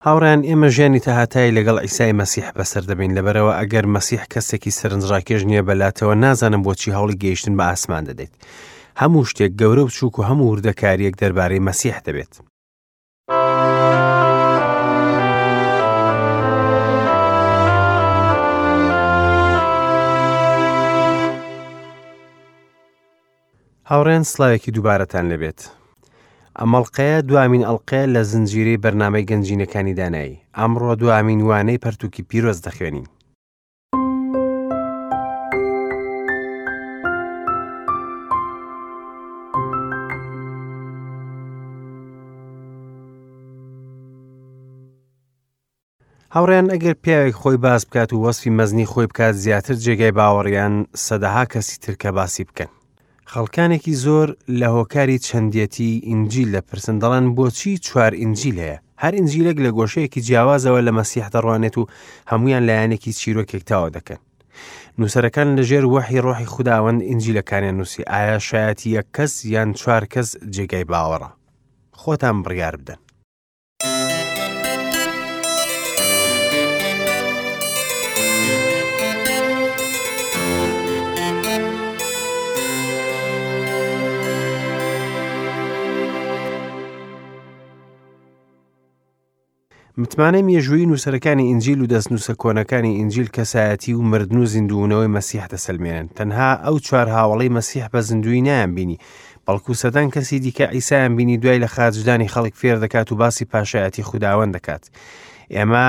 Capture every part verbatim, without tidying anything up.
هاوڕێیان، ئێمە ژیانی تاهاتایی لەگەڵ عیسای مەسیح بەسەر دەبین. لەبەرەوە ئەگەر مەسیح کەسێکی سەرنجڕاکێش نییە بەلاتەوە، نازانم بۆچی هەوڵی گەیشتن بە ئاسمان دەدەیت. هەموو شتێک گەورە و بچووک و هەموو وردەکارییەک دەربارەی مەسیح دەبێت. هاوڕێن، سڵاوێکی دووبارەتان لەبێت. ئەم ئەڵقەیە دوامین ئەڵقەیە لە زنجیرەی بەرنامەی گەنجینەکانی دانایی. ئەمڕۆ دوامین وانەی پەرتوکی پیرۆز دەخوێنین. هاوڕێن، ئەگەر پیاوێک خۆی باس بکات و وەسفی مەزنی خۆی بکات، زیاتر جێگای باوەڕیان سەدەها کەسی تر کە باسی بکەن. خەڵکانێکی زۆر لە هۆکاری چەندێتی ئینجیل دەپرسن، دەڵێن بۆچی چوار ئینجیل هەیە؟ هەر ئینجیلێک لە گۆشەیەکی جیاوازەوە لە مەسیح دەڕوانێت و هەمویان لایەنێکی چیرۆکێک تاوە دەکەن. نووسەرەکان لەژێر وەحی ڕۆحی خوداوەند ئینجیلەکانیان نووسی. ئایا شایەتی یەک کەس یان چوار کەس جێگای باوەڕە؟ خۆتان بڕیار بدەن. متمانەی مێژوویی نووسەرەکانی ئینجیل و دەستنووسە کۆنەکانی ئینجیل کەسایەتی و مردن و زیندوونەوەی مەسیح دەسەلمێنن. تەنها ئەو چوار هاوڵەی مەسیح بە زیندوویی نایان بینی، بەڵکو سەدان کەسی دیکە عیسایان بینی دوای لە خاچدانی خەڵک فێر دەکات و باسی پاشایەتی خوداوەند دەکات. ئێمە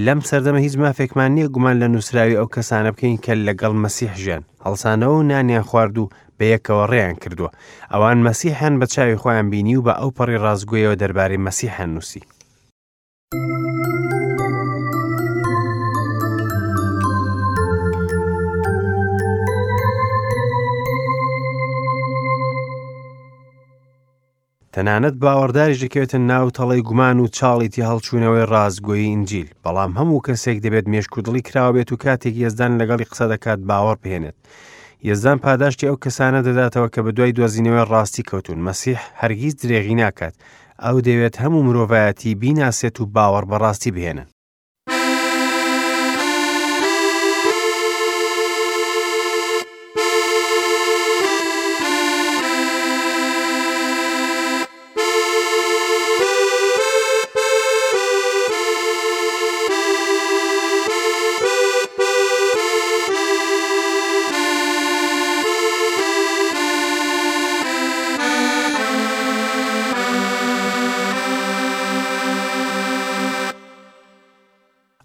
لەم سەردەمە هیچ مافێکمان نییە گومان لە نووسراوی ئەو کەسانە بکەین کە لەگەڵ مەسیح ژیان، هەڵسانەوە و نانیان خوارد و بەیەکەوە ڕێیان کردووە. ئەوان مەسیحیان بە چاوی خۆیان بینی و بە ئەو پەڕی ڕاستگۆیەوە دەربارەی مەسیحیان نووسی. تەنانەت باوەڕداریش دەکەوێتە ناو تەڵەی گومان و چاڵیتی هەڵچوونەوەی ڕاستگۆیی ئینجیل. بەڵام هەموو کەسێک دەبێت مێشک و دڵی کراوە بێت و کاتێک یەزدان لەگەڵی قسە دەکات باوەڕ بهێنێت. یەزدان پاداشتی ئەو کەسانە دەداتەوە کە بە دوای دۆزینەوەی ڕاستی کەوتون. مەسیح هەرگیز درێغی ناکات. ئەو دەوێت هەموو مرۆڤایەتی بیناسێت و باوەڕ بە ڕاستی بهێنن.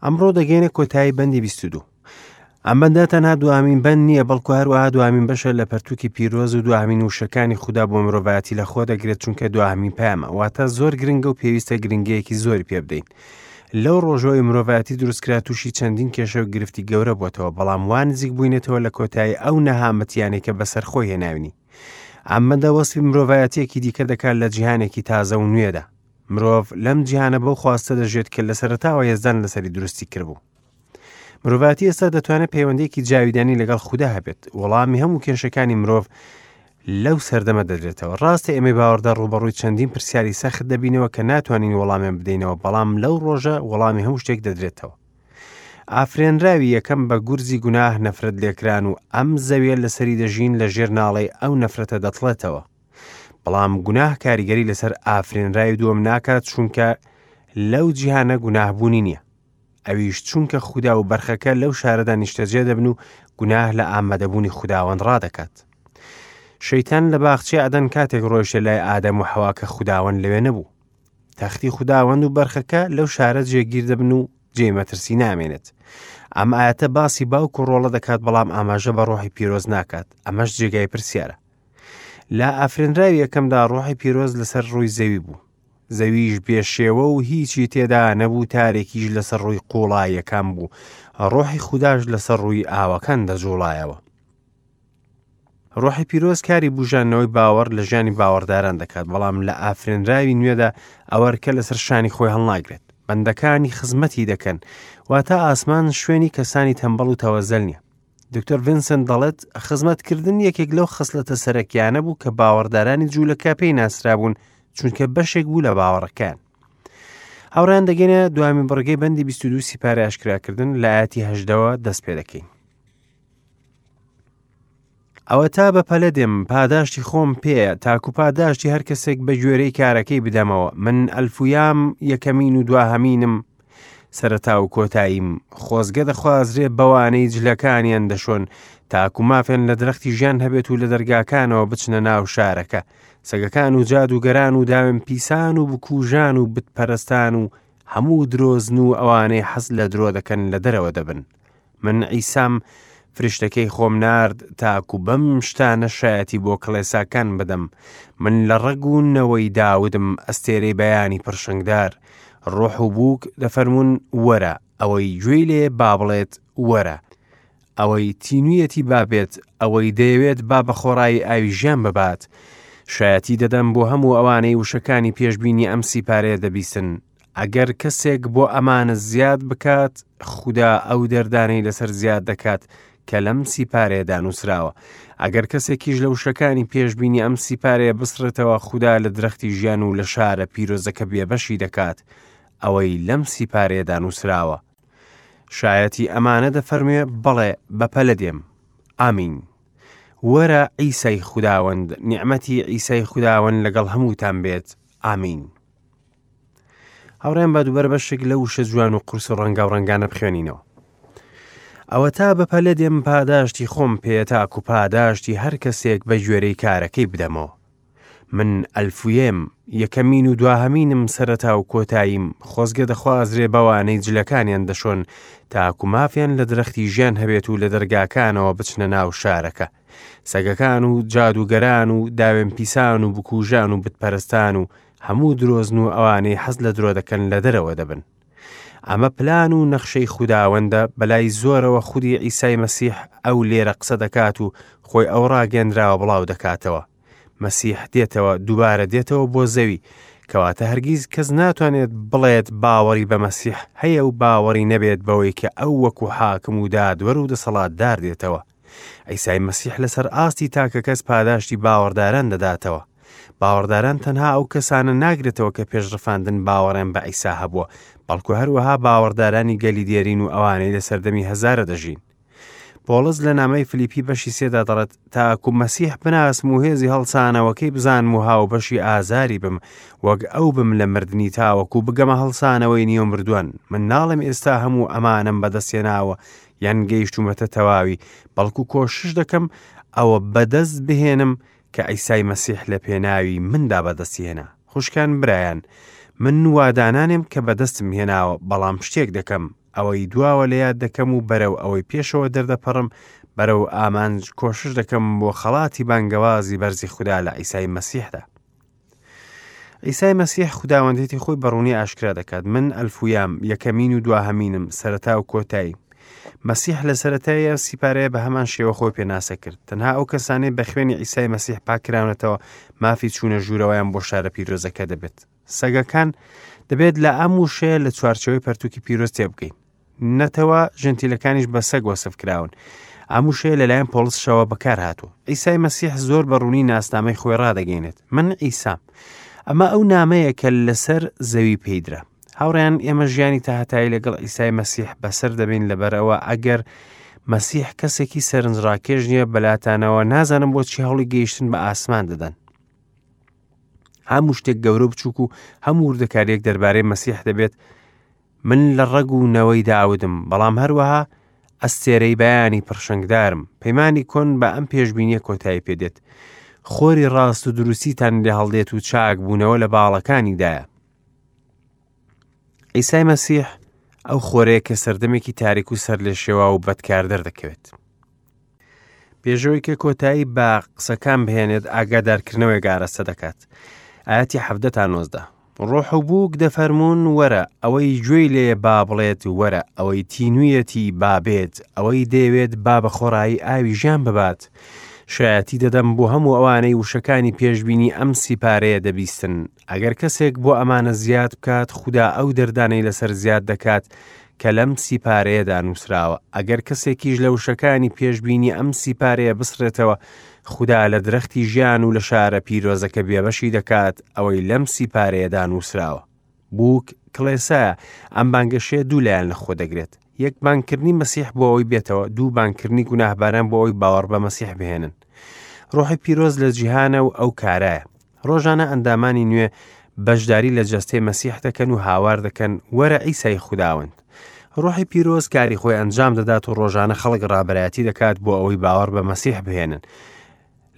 ئەمڕۆ دەگەینە کۆتایی بەندی بیست و دوو. ئەم بەندە تەنها دوامین بەند نییە، بەڵکو هەروەها دوامین بەشە لە پەرتوکی پیرۆز و دوامین وشەکانی خودا بۆ مرۆڤایەتی لە خۆ دەگرێت، چونکە دوامین پەیامە. واتە زۆر گرنگە و پێویستە گرنگەیەکی زۆری پێ بدەین. لەو ڕۆژەوەی مرۆڤایەتی دروستکرا تووشی چەندین کێشە و گرفتی گەورە بۆتەوە، بەڵام وا نزیک بووینەتەوە لە کۆتایی ئەو نەهامەتیانەی کە بەسەر خۆی هێناوینی. ئەم بەندە وەسفی مرۆڤایەتیەکی دیکە دەکات لە جیهانێکی تازە و نوێدا. مرۆڤ لەم جیهانە بەو خواستە دەژێت کە لە سەرەتاوە یەزدان لەسەری دروستی کردبوو. مرۆڤایەتی ئێستا دەتوانێت پەیوەندییەکی جاویدانی لەگەڵ خودا هەبێت. وەڵامی هەموو کێشەکانی مرۆڤ لەو سەردەمە دەدرێتەوە. ڕاستە ئێمەی باوەڕدار ڕووبەڕووی چەندین پرسیاری سەخت دەبینەوە کە ناتوانین وەڵامیان بدەینەوە، بەڵام لەو ڕۆژە وەڵامی هەموو شتێک دەدرێتەوە. ئافرێنراوی یەکەم بە گورزی گوناه نەفرەت لێکران و ئەم زەویە لەسەری دەژین لە ژێر ناڵەی ئەو نەفرەتە دەتڵێتەوە. بەڵام گوناه کاریگەری لەسەر ئافرێنراوی دووەم ناکات، چونکە لەو جیهانە گوناهبوونی نییە. ئەویش چونکە خودا و بەرخەکە لەو شارەدا نیشتەجێ دەبن و گوناه لە ئامادەبوونی خوداوەند ڕادەکات. شەیتان لە باخچەی عەدەن کاتێک ڕۆیشتە لای ئادەم و حەوا کە خوداوەند لەوێ نەبوو. تەختی خوداوەند و بەرخەکە لەو شارە جێگیر دەبن و جێ مەترسی نامێنێت. ئەم ئایەتە باسی باوک و ڕۆڵە دەکات، بەڵام ئاماژە بە ڕۆحی پیرۆز ناکات. ئەمەش جێگای پرسیارە. لە ئافرێنراوی یەکەمدا ڕۆحی پیرۆز لەسەر ڕووی زەوی بوو. زەویش بێشێوە و هیچی تێدا نەبوو، تارێکیش لەسەر ڕووی قوڵاییەکان بوو. ڕۆحی خوداش لەسەر ڕووی ئاوەکان دەجوڵایەوە. ڕۆحی پیرۆز کاری بژانەوەی باوەڕ لە ژیانی باوەڕداران دەکات، بەڵام لە ئافرێنراوی نوێدا ئەوەرکە لەسەر شانی خۆی هەڵناگرێت. بەندەکانی خزمەتی دەکەن، واتە ئاسمان شوێنی کەسانی تەمبەڵ و تەوەزەل نییە. دکتۆر ڤینسنت دەڵێت خزمەتکردن یەکێک لەو خسلەتە سەرەکیانە بوو کە باوەڕدارانی جوولەکە پێی ناسرابوون، چونکە بەشێک بوو لە باوەڕەکان. هاوڕێیان دەگەینە دوامین بڕگەی بەندی بیست و دوو سیپارەی ئاشکراکردن لە ئایەتی هەژدەوە دەست پێ دەکەین. ئەوە تا بە پەلە دێم، پاداشتی خۆم پێیە، تاکو پاداشتی هەر کەسێک بە گوێرەی کارەکەی بدەمەوە. من ئەلفویام، یەکەمین و دواهەمینم، سەرەتا و کۆتاییم. خۆزگە دەخوازرێ بەوانەی جلەکانیان دەشۆن، تاکو مافیان لە درەختی ژیان هەبێت و لە دەرگاکانەوە بچنە ناو شارەکە. سەگەکان و جادوگەران و داوێن پیسان و بکوژان و بتپەرستان و هەموو درۆزن و ئەوانەی حەز لە درۆ دەکەن لە دەرەوە دەبن. من عیسام فریشتەکەی خۆم نارد تاکو بەم شتانە شایەتی بۆ کڵێساکان بدەم. من لە ڕەگ و نەوەی داودم، ئەستێرەی بەیانی پرشنگدار. ڕۆح و بووک دەفەرموون وەرە، ئەوەی گوێی لێ با بڵێت وەرە، ئەوەی تینوویەتی با بێت، ئەوەی دەیەوێت با بە خۆڕایی ئاوی ژیان ببات. شایەتی دەدەم بۆ هەموو ئەوانەی وشەکانی پێشبینی ئەم سیپارەیە دەبیستن. ئەگەر کەسێک بۆ ئەمانە زیاد بکات، خودا ئەو دەردانەی لەسەر زیاد دەکات کە لەم سیپارەیەدا نووسراوە. ئەگەر کەسێکیش لە وشەکانی پێشبینی ئەم سیپارەیە بسڕێتەوە، خودا لە درەختی ژیان و لە شارە پیرۆزەکە بێبەشی دەکات، ئەوەی لەم سیپارەیەدا نووسراوە. شایەتی ئەمانە دەفەرموێ، بەڵێ بەپەلە دێم. ئامین. وەرە عیسای خوداوەند، نیعمەتی عیسای خوداوەند لەگەڵ هەمووتان بێت. ئامین. هاوڕێیان با دووبارە بەشێک لە وشە جوان و قورس و ڕەنگاو ڕەنگانە بخوێنینەوە. ئەوە تا بەپەلە دێم، پاداشتی خۆم پێیە، تاکو پاداشتی هەر کەسێک بە گوێرەی کارەکەی بدەمەوە. من ئەلفویێم، یەکەمین و دواهەمینم، سەرەتا و کۆتاییم. خۆزگە دەخوازرێ بەوانەی جلەکانیان دەشۆن، تاکو مافیان لە درەختی ژیان هەبێت و لە دەرگاکانەوە بچنە ناو شارەکە. سەگەکان و جادوگەران و داوێن پیسان و بکوژان و بتپەرستان و هەموو درۆزن و ئەوانەی حەز لە درۆ دەکەن لە دەرەوە دەبن. ئەمە پلان و نەخشەی خوداوەندە، بەلای زۆرەوە خودی عیسای مەسیح ئەو لێرە قسە دەکات و خۆی ئەو ڕاگەندراوە بڵاو دەکاتەوە. مەسیح دێتەوە، دووبارە دێتەوە بۆ زەوی، کەواتە هەرگیز کەس ناتوانێت بڵێت باوەڕی بە مەسیح هەیە و باوەڕی نەبێت بەوەی کە ئەو وەکو حاکم و دادوەر و دەسەڵاتدار دێتەوە. عیسای مەسیح لەسەر ئاستی تاکە کەس پاداشتی باوەڕداران دەداتەوە. باوەڕداران تەنها ئەو کەسانە ناگرێتەوە کە پێشڕفاندن باوەڕیان بە عیسا هەبووە، بەڵکو هەروەها باوەڕدارانی گەلی دێرین و ئەوانەی لە سەردەمی هەزارە دەژین. پۆڵس لە نامەی فلیپی بەشی سێدا دەڵێت، تاکو مەسیح بناسم و هێزی هەڵسانەوەکەی بزانم و هاوبەشی ئازاری بم، وەک ئەو بم لە مردنی تاوەکو بگەمە هەڵسانەوەی نیو مردووان. من ناڵێم ئێستا هەموو ئەمانەم بەدەستهێناوە یان گەیشتوومەتە تەواوی، بەڵکو کۆشش دەکەم ئەوە بەدەست بهێنم کە عیسای مەسیح لە پێناوی مندا بەدەستی هێنا. خوشکان برایان، من وادانانێم کە بەدەستم هێناوە، بەڵام شتێک دەکەم، ئەوەی دواوە لە یاد دەکەم و بەرەو ئەوەی پێشەوە دەردەپەڕم، بەرەو ئامانج کۆشش دەکەم بۆ خەڵاتی بانگەوازی بەرزی خودا لە عیسای مەسیحدا. عیسای مەسیح خوداوەندێتی خۆی بەڕوونی ئاشکرا دەکات. من ئەلفویام، یەکەمین و دواهەمینم، سەرەتا و کۆتایی. مەسیح لە سەرەتای ئەو سیپارەیە بە هەمان شێوە خۆی پێناسە کرد. تەنها ئەو کەسانەی بە خوێنی عیسای مەسیح پاکراونەتەوە مافی چوونە ژوورەوەیان بۆ شارە پیرۆزەکە دەبێت. سەگەکان دەبێت لە ئەم وشەیە لە چوارچێوەی پەرتوکی پیرۆز تێبگەین. نەتەوە ژنتیلەکانیش بە سەگ وەسف کراون. ئەم وشەیە لەلایەن پۆڵسشەوە بەکار هاتووە. عیسای مەسیح زۆر بە ڕوونی ناسنامەی خۆی ڕادەگەینێت. من عیسام. ئەمە ئەو نامەیە کە لەسەر زەوی پێیدرا. هاوڕێیان، ئێمە ژیانی تاهەتایی لەگەڵ عیسای مەسیح بەسەر دەبین. لەبەرئەوە ئەگەر مەسیح کەسێکی سەرنجڕاکێش نییە بەلاتانەوە، نازانم بۆچی هەوڵی گەیشتن بە ئاسمان دەدەن. هەموو شتێک گەورە بچووک و هەموو وردەکارییەک دەربارەی مەسیح دەبێت. من لە ڕەگ و نەوەی داودم، بەڵام هەروەها ئەستێرەی بەیانی پڕشنگدارم. پەیمانی کۆن بە ئەم پێشبینیە کۆتایی پێدێت. خۆری ڕاست و دروستیتان لێ هەڵدێت و چاک بوونەوە لە باڵەکانیدایە. عیسای مەسیح ئەو خۆرەیە کە سەردەمێکی تاریک و سەر لە شێوا و بەدکار دەردەکەوێت. پێشەوەی کە کۆتایی بە قسەکان بهێنێت، ئاگادارکردنەوەی ئاراستە دەکات. ئاەتی حەڤدە تا نۆزدە. ڕۆح و بووک دەفەرموون وەرە، ئەوەی گوێی لێ با بڵێت وەرە، ئەوەی تینوویەتی با بێت، ئەوەی دەیەوێت با بە خۆڕایی ئاوی ژیان ببات. شایەتی دەدەم بۆ هەموو ئەوانەی وشەکانی پێشبینی ئەم سیپارەیە دەبیستن. ئەگەر کەسێک بۆ ئەمانە زیاد بکات، خودا ئەو دەردانەی لەسەر زیاد دەکات کە لەم سیپارەیەدا نووسراوە. ئەگەر کەسێکیش لە وشەکانی پێشبینی ئەم سیپارەیە بسڕێتەوە، خودا لە درەختی ژیان و لە شارە پیرۆزەکە بێبەشی دەکات، ئەوەی لەم سیپارەیەدا نووسراوە. بووک کڵێسایە. ئەم بانگەشەیە دوو لایەن لە خۆ دەگرێت. یەک، بانگکردنی مەسیح بۆ ئەوەی بێتەوە، دوو، بانگکردنی گوناهباران بۆ ئەوەی باوەڕ بە مەسیح بهێنن. ڕۆحی پیرۆز لە جیهانە و ئەو کارایە. ڕۆژانە ئەندامانی نوێ بەشداری لە جەستەی مەسیح دەکەن و هاوار دەکەن وەرە عیسای خوداوەند. ڕۆحی پیرۆز کاری خۆی ئەنجام دەدات و ڕۆژانە خەڵک ڕابەرایەتی دەکات بۆ ئەوەی باوەڕ بە مەسیح بهێنن.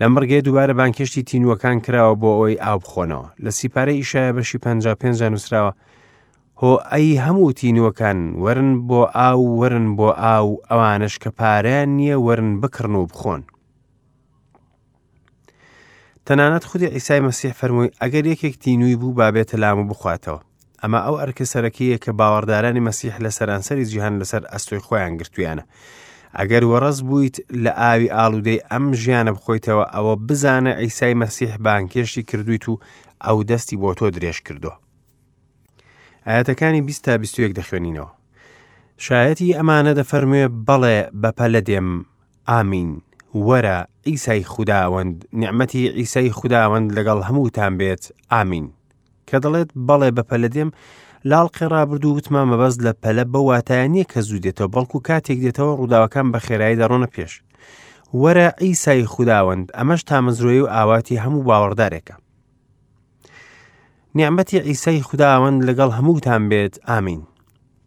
لەم بڕگەیە دووبارە بانگهێشتی تینووەکان کراوە بۆ ئەوەی ئاو بخۆنەوە. لە سیپارەی ئیشایە بەشی پەنجا و پێنج نووسراوە هۆ ئەی هەموو تینووەکان وەرن بۆ ئاو، وەرن بۆ ئاو، ئەوانەش کە پارەیان نییە وەرن بکڕن و بخۆن. تەنانەت خودی عیسای مەسیح فەرمووی ئەگەر یەکێک تینووی بوو با بێتە لام و بخواتەوە. ئەمە ئەو ئەرکە سەرەکییە کە باوەڕدارانی مەسیح لە سەرانسەری جیهان لەسەر ئەستۆی خۆیان گرتوویانە. ئەگەر وەڕەز بوویت لە ئاوی ئاڵوودەی ئەم ژیانە بخۆیتەوە، ئەوە بزانە عیسای مەسیح بانگهێشتی کردوویت و ئەو دەستی بۆ تۆ درێژ کردووە. ئاەتەکانی بیست تا بیست و یەک دەخوێنینەوە. شایەتی ئەمانە دەفەرموێ بەڵێ بەپەلە دێم، ئامین. وەرە عیسای خوداوەند، نیعمەتی عیسای خوداوەند لەگەڵ هەمووتان بێت، ئامین. کە دەڵێت بەڵێ بەپەلە دێم، لاڵقی ڕابردوو وتمان مەبەست لە پەلە بەو واتایە نییە کە زوو دێتەوە، بەڵکو کاتێک دێتەوە ڕووداوەکان بە خێرایی دەڕۆنە پێش. وەرە عیسای خوداوەند، ئەمەش تامەزرۆیی و ئاواتی هەموو باوەڕدارێکە. نیعمەتی عیسای خوداوەند لەگەڵ هەمووتان بێت، ئامین.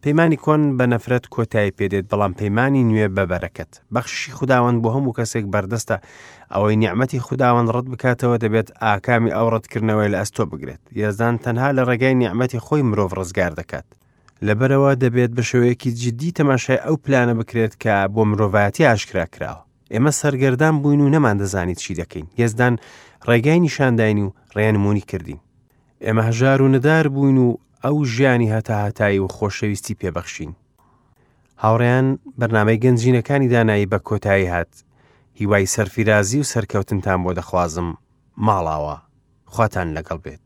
پەیمانی کۆن بە نەفرەت کۆتایی پێدێت، بەڵام پەیمانی نوێ بە بەرەکەت. بەخششی خوداوەند بۆ هەموو کەسێک بەردەستە. ئەوەی نیعمەتی خوداوەند ڕەت بکاتەوە دەبێت ئاکامی ئەو ڕەتکردنەوەی لە ئەستۆ بگرێت. یەزدان تەنها لە ڕێگای نیعمەتی خۆی مرۆڤ ڕزگار دەکات. لەبەرەوە دەبێت بە شێوەیەکی جدی تەماشای ئەو پلانە بکرێت کە بۆ مرۆڤایەتی ئاشکرا کراوە. ئێمە سەرگەردان بووین و نەماندەزانی چی دەکەین. یەزدان ڕێگای نیشانداین و ڕێنمونی کردین. ئێمە هەژار و نەدار بووین و ئەو ژیانی هەتاهەتایی و خۆشەویستی پێبەخشین. هاوڕێیان، بەرنامەی گەنجینەکانی دانایی بە کۆتایی هات. هیوای سەرفیرازی و سەرکەوتنتان بۆ دەخوازم. ماڵاوە، خواتان لەگەڵ بێت.